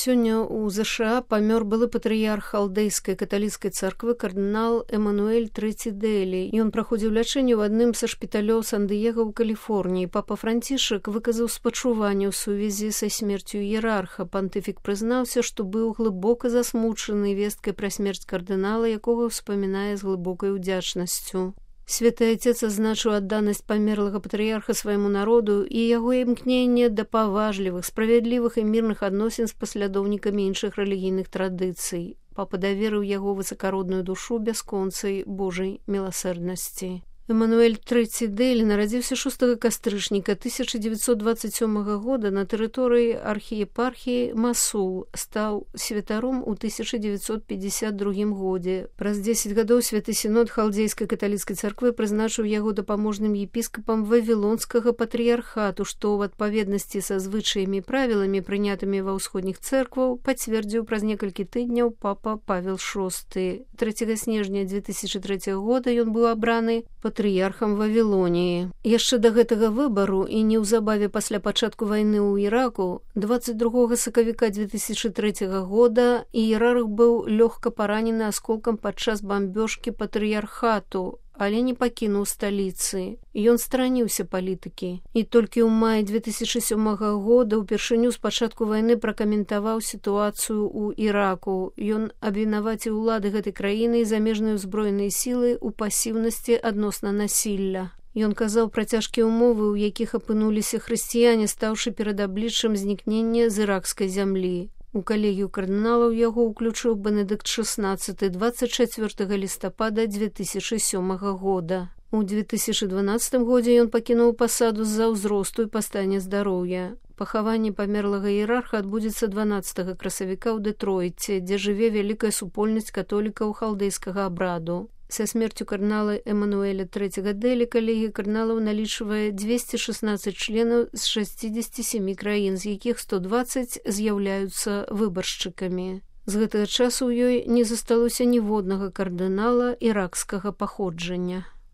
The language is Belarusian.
Сёння ў ЗША памёр былы патрыярх халдэйскай каталіцкай царквы кардынал Эмануэль III Дэлі. Ён праходзіў лячэнне ў адным са шпіталёў Сан-Дыега ў Каліфорніі. Папа Францішак выказаў спачуванне ў сувязі са смерцю іерарха. Пантыфік прызнаўся, што быў глыбока засмучаны весткай пра смерць кардынала, якога ўспамінае з глыбокай удзячнасцю. Святы Отец азначыў адданасць памерлага патрыярха свайму народу і яго імкненне да паважлівых, справядлівых і мірных адносін з паслядоўнікамі іншых рэлігійных традыцый. Папа даверыў яго высакародную душу бясконцай Божай міласэрнасці. Эмануэль III Дэлі нарадзіўся 6 кастрычніка 1927 года на тэрыторыі архіепархіі Масул, стаў святаром у 1952 годзе. Праз 10 гадоў святы сінод халдзейскай каталіцкай царквы прызначыў яго дапаможным епіскапам вавілонскага патрыярхату, што ў адпаведнасці са звычаямі і правіламі, прынятымі ва ўсходніх цэркваў, пацвердзіў праз некалькі тыдняў папа Павел VI. 3 снежня 2003 года ён быў абраны патрыярхам Вавілоніі. Яшчэ да гэтага выбару і неўзабаве пасля пачатку вайны ў Іраку 22 сакавіка 2003 года іерарх быў лёгка паранены асколкам падчас бамбёжкі патрыярхату, але не пакінуў сталіцы. Ён стараніўся палітыкі. І толькі ў маі 2007 года ўпершыню з пачатку вайны пракаментаваў сітуацыю ў Іраку. Ён абвінаваціў улады гэтай краіны і замежныя ўзброеныя сілы ў пасіўнасці адносна насілля. Ён казаў пра цяжкія ўмовы, у якіх апынуліся хрысціяне, стаўшы перад абліччам знікнення з іракскай зямлі. У калегію кардыналаў яго ўключыў Бенедыкт XVI 24 лістапада 2007 года. У 2012 годзе ён пакінуў пасаду з-за ўзросту і па стане здароўя. Пахаванне памерлага іерарха адбудзецца 12 красавіка ў Дэтройце, дзе жыве вялікая супольнасць католікаў халдэйскага абраду. Са смерцю кардынала Эмануэля III Дэлі калегія кардыналаў налічвае 216 членаў з 67 краін, з якіх 120 з'яўляюцца выбаршчыкамі. З гэтага часу ў ёй не засталося ніводнага кардынала іракскага паходжання.